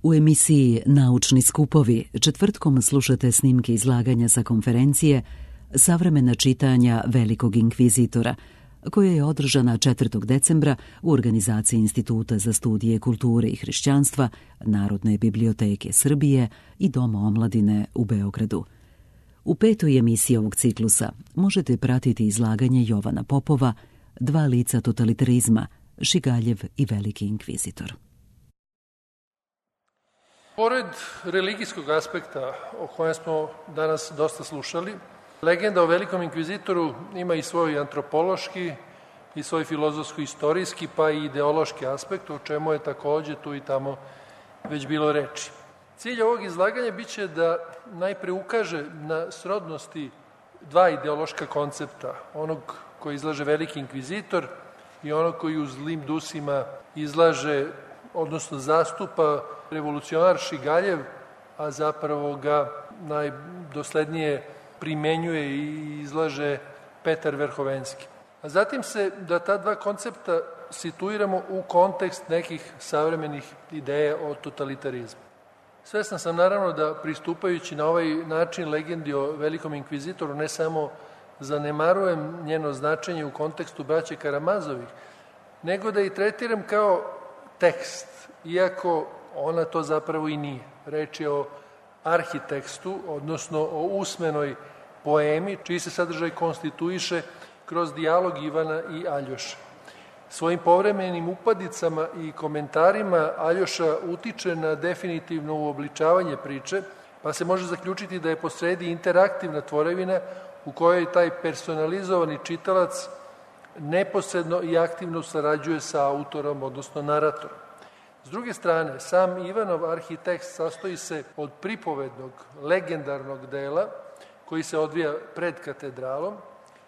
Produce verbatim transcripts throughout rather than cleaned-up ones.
U emisiji Naučni skupovi četvrtkom slušate snimke izlaganja sa konferencije Savremena čitanja Velikog inkvizitora, koja je održana četvrtog decembra u organizaciji Instituta za studije kulture i hrišćanstva, Narodne biblioteke Srbije i Doma omladine u Beogradu. U petoj emisiji ovog ciklusa možete pratiti izlaganje Jovana Popova Dva lica totalitarizma, Šigaljev i Veliki inkvizitor. Pored religijskog aspekta o kojem smo danas dosta slušali, legenda o Velikom inkvizitoru ima i svoj antropološki i svoj filozofsko-istorijski pa i ideološki aspekt, o čemu je takođe tu i tamo već bilo reči. Cilj ovog izlaganja biće da najpre ukaže na srodnosti dva ideološka koncepta, onog koji izlaže Veliki inkvizitor i onog koji u Zlim dusima izlaže, odnosno zastupa revolucionar Šigaljev, a zapravo ga najdoslednije primenjuje i izlaže Petar Verhovenski. A zatim se da ta dva koncepta situiramo u kontekst nekih savremenih ideja o totalitarizmu. Svestan sam naravno da pristupajući na ovaj način legendi o Velikom inkvizitoru ne samo zanemarujem njeno značenje u kontekstu braće Karamazovih, nego da i tretiram kao tekst, iako ona to zapravo i nije. Reč je o arhitekstu, odnosno o usmenoj poemi, čiji se sadržaj konstituiše kroz dijalog Ivana i Aljoše. Svojim povremenim upadicama i komentarima Aljoša utiče na definitivno uobličavanje priče, pa se može zaključiti da je posredi interaktivna tvorevina u kojoj taj personalizovani čitalac neposredno i aktivno sarađuje sa autorom, odnosno naratorom. S druge strane, sam Ivanov arhitekst sastoji se od pripovednog, legendarnog dela koji se odvija pred katedralom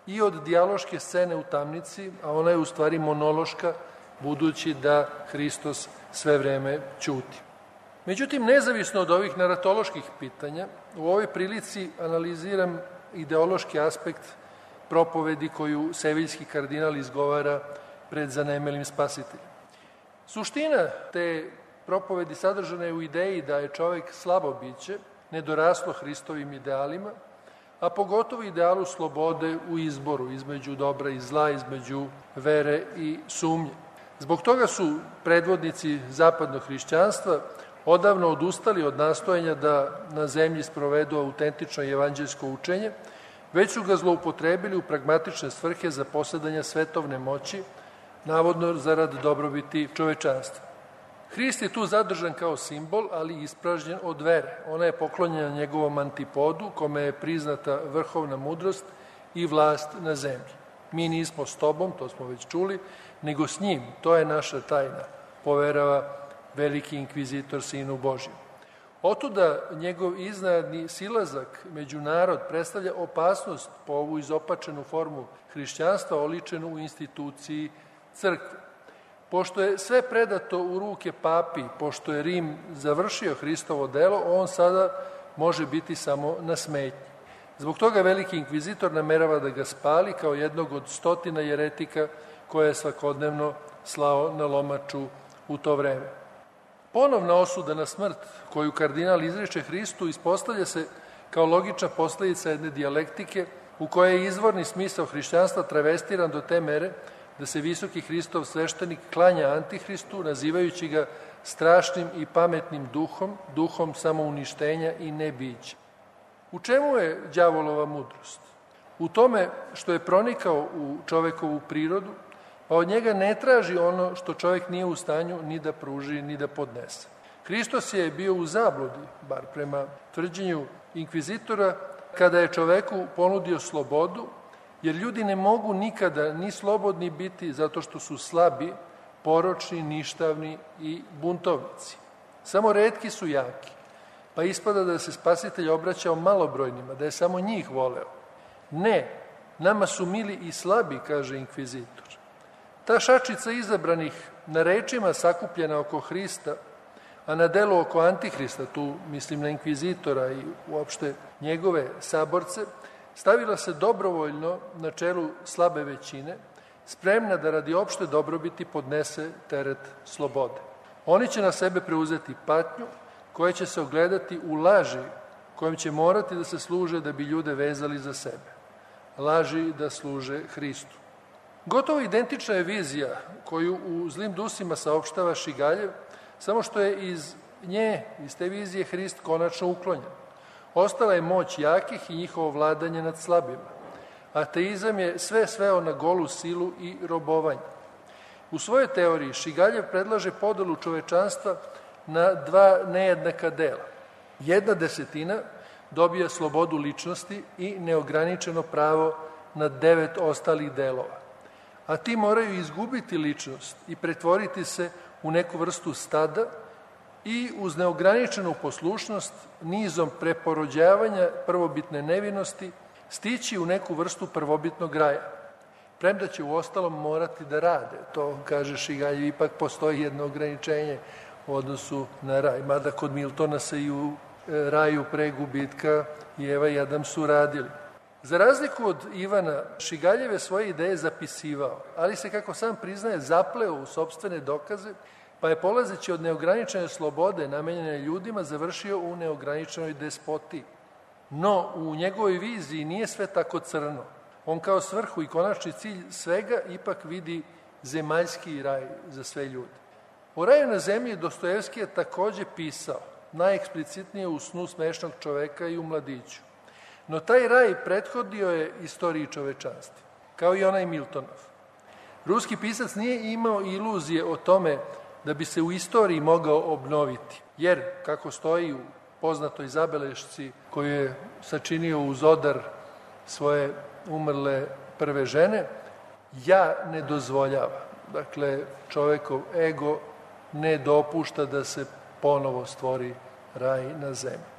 i od dijaloške scene u tamnici, a ona je u stvari monološka, budući da Hristos sve vreme ćuti. Međutim, nezavisno od ovih naratoloških pitanja, u ovoj prilici analiziram ideološki aspekt propovedi koju seviljski kardinal izgovara pred zanemelim spasiteljem. Suština te propovedi sadržana je u ideji da je čovek slabo biće, nedoraslo Hristovim idealima, a pogotovo idealu slobode u izboru između dobra i zla, između vere i sumnje. Zbog toga su predvodnici zapadnog hrišćanstva odavno odustali od nastojanja da na zemlji sprovedu autentično evanđeljsko učenje, već su ga zloupotrebili u pragmatične svrhe za posedanje svetovne moći, navodno zarad dobrobiti čovečanstva. Hrist je tu zadržan kao simbol, ali ispražnjen od vere. Ona je poklonjena njegovom antipodu, kome je priznata vrhovna mudrost i vlast na zemlji. Mi nismo s tobom, to smo već čuli, nego s njim. To je naša tajna, poverava Veliki inkvizitor Sinu Božjem. Otuda njegov iznenadni silazak među narod predstavlja opasnost po ovu izopačenu formu hrišćanstva oličenu u instituciji crkve. Pošto je sve predato u ruke papi, pošto je Rim završio Hristovo delo, on sada može biti samo na smetnji. Zbog toga Veliki inkvizitor namerava da ga spali kao jednog od stotina jeretika koje je svakodnevno slao na lomaču u to vreme. Ponovna osuda na smrt koju kardinal izreče Hristu ispostavlja se kao logična posledica jedne dijalektike u kojoj je izvorni smisao hrišćanstva travestiran do te mere da se visoki Hristov sveštenik klanja Antihristu, nazivajući ga strašnim i pametnim duhom, duhom samouništenja i nebića. U čemu je đavolova mudrost? U tome što je pronikao u čovekovu prirodu, pa od njega ne traži ono što čovek nije u stanju ni da pruži, ni da podnese. Hristos je bio u zabludi, bar prema tvrđenju inkvizitora, kada je čoveku ponudio slobodu, jer ljudi ne mogu nikada ni slobodni biti zato što su slabi, poročni, ništavni i buntovnici. Samo retki su jaki, pa ispada da se Spasitelj obraćao malobrojnima, da je samo njih voleo. Ne, nama su mili i slabi, kaže inkvizitor. Ta šačica izabranih na rečima sakupljena oko Hrista, a na delu oko Antihrista, tu mislim na inkvizitora i uopšte njegove saborce, stavila se dobrovoljno na čelu slabe većine, spremna da radi opšte dobrobiti podnese teret slobode. Oni će na sebe preuzeti patnju koja će se ogledati u laži kojom će morati da se služe da bi ljude vezali za sebe. Laži da služe Hristu. Gotovo identična je vizija koju u Zlim dusima saopštava Šigaljev, samo što je iz nje, iz te vizije, Hrist konačno uklonjen. Ostala je moć jakih i njihovo vladanje nad slabima. Ateizam je sve sveo na golu silu i robovanje. U svojoj teoriji Šigaljev predlaže podelu čovečanstva na dva nejednaka dela. Jedna desetina dobija slobodu ličnosti i neograničeno pravo na devet ostalih delova. A ti moraju izgubiti ličnost i pretvoriti se u neku vrstu stada i uz neograničenu poslušnost nizom preporođavanja prvobitne nevinosti stići u neku vrstu prvobitnog raja. Premda će u ostalom morati da rade. To, kaže Šigaljev, ipak postoji jedno ograničenje u odnosu na raj. Mada kod Miltona se i u raju pre gubitka i Eva i Adam su radili. Za razliku od Ivana, Šigaljev je svoje ideje zapisivao, ali se, kako sam priznaje, zapleo u sopstvene dokaze, pa je polazeći od neograničene slobode namenjene ljudima završio u neograničenoj despotiji. No, u njegovoj viziji nije sve tako crno. On kao svrhu i konačni cilj svega ipak vidi zemaljski raj za sve ljude. O raju na zemlji Dostojevski je takođe pisao, najeksplicitnije u Snu smešnog čoveka i u Mladiću. No taj raj prethodio je istoriji čovečanstva, kao i onaj Miltonov. Ruski pisac nije imao iluzije o tome da bi se u istoriji mogao obnoviti, jer, kako stoji u poznatoj zabelešci koju je sačinio uz odar svoje umrle prve žene, ja ne dozvoljava. Dakle, čovekov ego ne dopušta da se ponovo stvori raj na zemlji.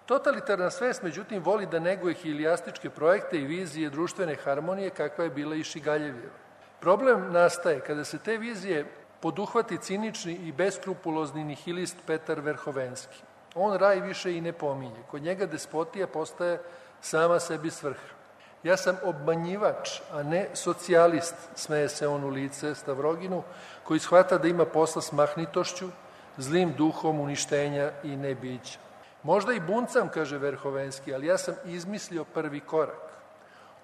Totalitarna svest, međutim, voli da neguje hilijastičke projekte i vizije društvene harmonije kakva je bila i Šigaljevjeva. Problem nastaje kada se te vizije poduhvati cinični i beskrupulozni nihilist Petar Verhovenski. On raj više i ne pominje. Kod njega despotija postaje sama sebi svrha. Ja sam obmanjivač, a ne socijalist, smeje se on u lice Stavroginu, koji shvata da ima posla s mahnitošću, zlim duhom uništenja i nebića. Možda i buncam, kaže Verhovenski, ali ja sam izmislio prvi korak.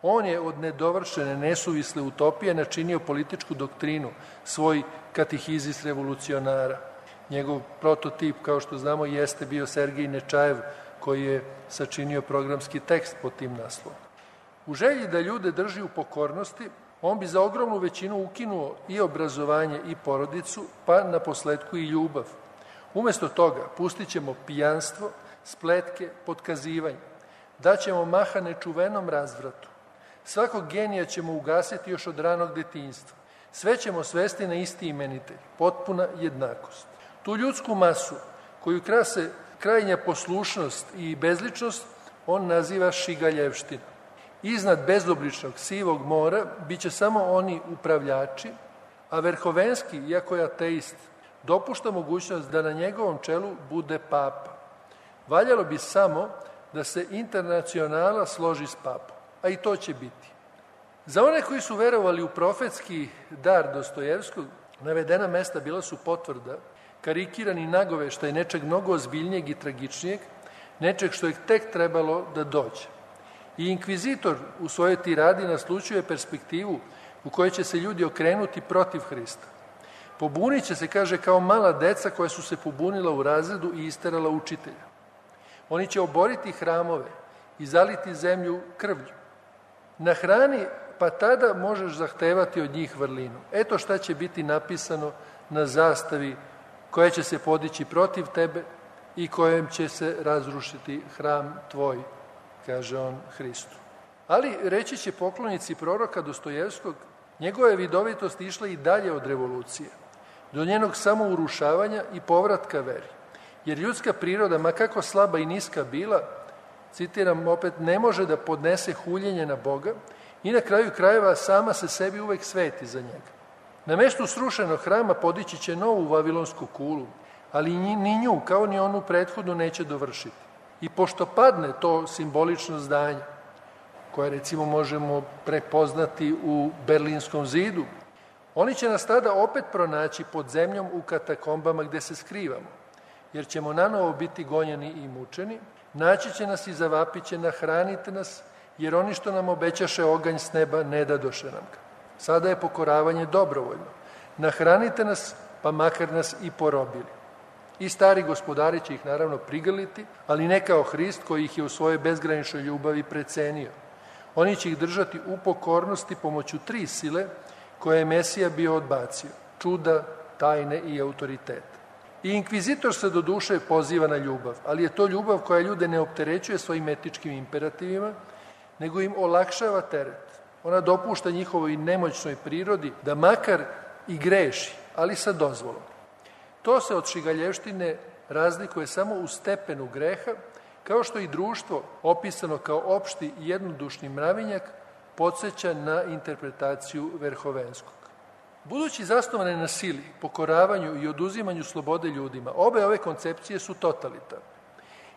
On je od nedovršene, nesuvisle utopije načinio političku doktrinu, svoj katehizis revolucionara. Njegov prototip, kao što znamo, jeste bio Sergij Nečajev, koji je sačinio programski tekst pod tim naslovom. U želji da ljude drži u pokornosti, on bi za ogromnu većinu ukinuo i obrazovanje i porodicu, pa na posledku i ljubav. Umesto toga pustit ćemo pijanstvo, spletke, potkazivanje. Daćemo maha nečuvenom razvratu. Svakog genija ćemo ugasiti još od ranog detinjstva. Sve ćemo svesti na isti imenitelj, potpuna jednakost. Tu ljudsku masu, koju krase krajnja poslušnost i bezličnost, on naziva Šigaljevština. Iznad bezobličnog sivog mora biće samo oni upravljači, a Verhovenski, iako je ateist, dopušta mogućnost da na njegovom čelu bude papa. Valjalo bi samo da se internacionala složi s papom, a i to će biti. Za one koji su verovali u profetski dar Dostojevskog, navedena mesta bila su potvrda, karikirani nagoveštaj nečeg mnogo ozbiljnijeg i tragičnijeg, nečeg što je tek trebalo da dođe. I inkvizitor u svojoj tiradi naslučuje perspektivu u kojoj će se ljudi okrenuti protiv Hrista. Pobunit će se, kaže, kao mala deca koja su se pobunila u razredu i isterala učitelja. Oni će oboriti hramove i zaliti zemlju krvlju. Na hrani, pa tada možeš zahtevati od njih vrlinu. Eto šta će biti napisano na zastavi koja će se podići protiv tebe i kojem će se razrušiti hram tvoj, kaže on Hristu. Ali reći će poklonici proroka Dostojevskog, njegova je vidovitost išla i dalje od revolucije, do njenog samourušavanja i povratka veri. Jer ljudska priroda, ma kako slaba i niska bila, citiram opet, ne može da podnese huljenje na Boga i na kraju krajeva sama se sebi uvek sveti za njega. Na mestu srušenog hrama podići će novu vavilonsku kulu, ali ni nju, kao ni onu prethodnu, neće dovršiti. I pošto padne to simbolično zdanje, koje recimo možemo prepoznati u Berlinskom zidu, Oni će nas tada opet pronaći pod zemljom u katakombama gde se skrivamo, jer ćemo nanovo biti gonjeni i mučeni, naći će nas i zavapit će, nahranite nas, jer oni što nam obećaše oganj s neba ne dadoše nam ga. Sada je pokoravanje dobrovoljno. Nahranite nas, pa makar nas i porobili. I stari gospodari će ih naravno prigrliti, ali ne kao Hrist koji ih je u svojoj bezgraničnoj ljubavi precenio. Oni će ih držati u pokornosti pomoću tri sile koje je Mesija bio odbacio: čuda, tajne i autoritet. I inkvizitor se do duše poziva na ljubav, ali je to ljubav koja ljude ne opterećuje svojim etičkim imperativima, nego im olakšava teret. Ona dopušta njihovoj nemoćnoj prirodi da makar i greši, ali sa dozvolom. To se od šigaljevštine razlikuje samo u stepenu greha, kao što i društvo, opisano kao opšti jednodušni mravinjak, podsjeća na interpretaciju Verhovenskog. Budući zasnovane na sili, pokoravanju i oduzimanju slobode ljudima, obe ove koncepcije su totalitarne.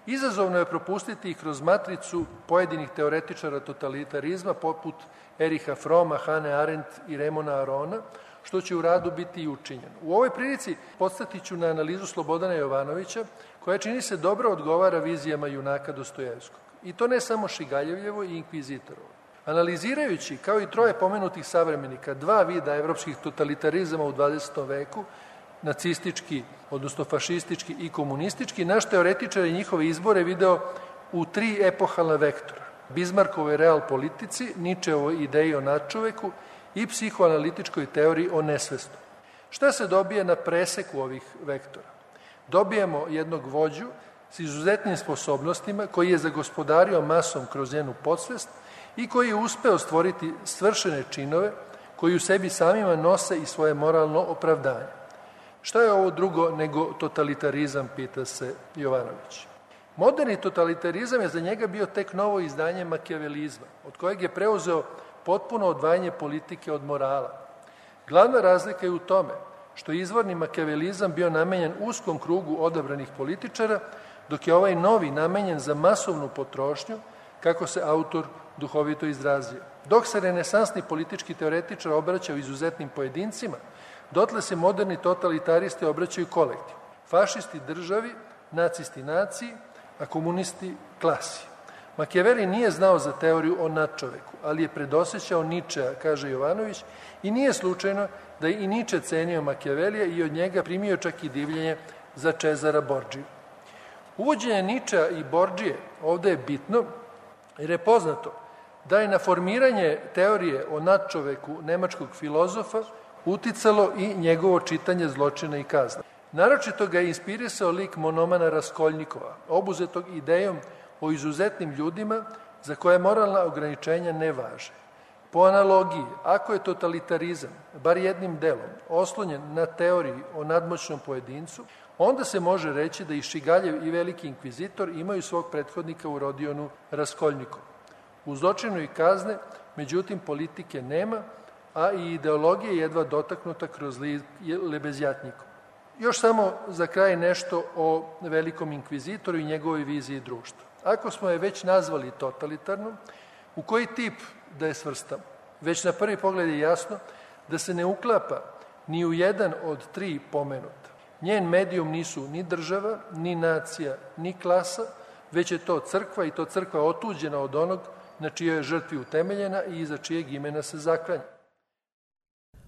Izazovno je propustiti ih kroz matricu pojedinih teoretičara totalitarizma poput Eriha Froma, Hane Arendt i Remona Arona, što će u radu biti i učinjeno. U ovoj prilici podstatit ću na analizu Slobodana Jovanovića, koja čini se dobro odgovara vizijama junaka Dostojevskog. I to ne samo Šigaljevo i inkvizitorovo. Analizirajući, kao i troje pomenutih savremenika, dva vida evropskih totalitarizama u dvadesetom veku, nacistički, odnosno fašistički i komunistički, naš teoretičar je njihove izbore video u tri epohalna vektora: Bizmarkovoj real politici, Ničeovoj ideji o nadčoveku i psihoanalitičkoj teoriji o nesvestu. Šta se dobije na preseku ovih vektora? Dobijemo jednog vođu s izuzetnim sposobnostima koji je zagospodario masom kroz njenu podsvest i koji je uspeo stvoriti svršene činove koji u sebi samima nose i svoje moralno opravdanje. Šta je ovo drugo nego totalitarizam, pita se Jovanović. Moderni totalitarizam je za njega bio tek novo izdanje makijavelizma, od kojeg je preuzeo potpuno odvajanje politike od morala. Glavna razlika je u tome što je izvorni makijavelizam bio namenjen uskom krugu odabranih političara, dok je ovaj novi namenjen za masovnu potrošnju, kako se autor duhovito izrazio. Dok se renesansni politički teoretičar obraćao izuzetnim pojedincima, dotle se moderni totalitaristi obraćaju kolektivu. Fašisti državi, nacisti naciji, a komunisti klasi. Makijaveli nije znao za teoriju o nadčoveku, ali je predosećao Ničea, kaže Jovanović, i nije slučajno da je i Niče cenio Makijavelija i od njega primio čak i divljenje za Čezara Bordžiju. Uvođenje Ničea i Bordžije ovde je bitno, jer je poznato da je na formiranje teorije o nadčoveku nemačkog filozofa uticalo i njegovo čitanje Zločina i kazna. Naročito ga je inspirisao lik monomana Raskoljnikova, obuzetog idejom o izuzetnim ljudima za koje moralna ograničenja ne važe. Po analogiji, ako je totalitarizam, bar jednim delom, oslonjen na teoriji o nadmoćnom pojedincu, onda se može reći da i Šigaljev i veliki inkvizitor imaju svog prethodnika u Rodionu Raskoljnikovu. U Zločinu i kazne, međutim, politike nema, a i ideologija je jedva dotaknuta kroz Lebezjatnjiku. Još samo za kraj nešto o velikom inkvizitoru i njegovoj viziji društva. Ako smo je već nazvali totalitarnom, u koji tip da je svrstamo? Već na prvi pogled je jasno da se ne uklapa ni u jedan od tri pomenuta. Njen medijum nisu ni država, ni nacija, ni klasa, već je to crkva, i to crkva otuđena od onog na čijoj je žrtvi utemeljena i iza čijeg imena se zaklanja.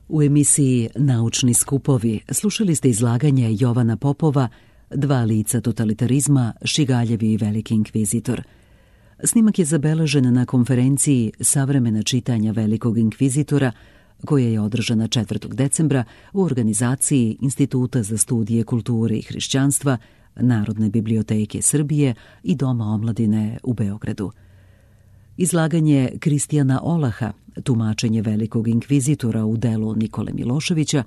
U emisiji Naučni skupovi slušali ste izlaganje Jovana Popova Dva lica totalitarizma, Šigaljev i veliki inkvizitor. Snimak je zabeležen na konferenciji Savremena čitanja velikog inkvizitora, koja je održana četvrtog decembra u organizaciji Instituta za studije kulture i hrišćanstva, Narodne biblioteke Srbije i Doma omladine u Beogradu. Izlaganje Kristijana Olaha, tumačenje velikog inkvizitora u delu Nikole Miloševića,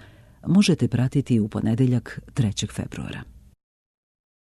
možete pratiti u ponedeljak trećeg februara.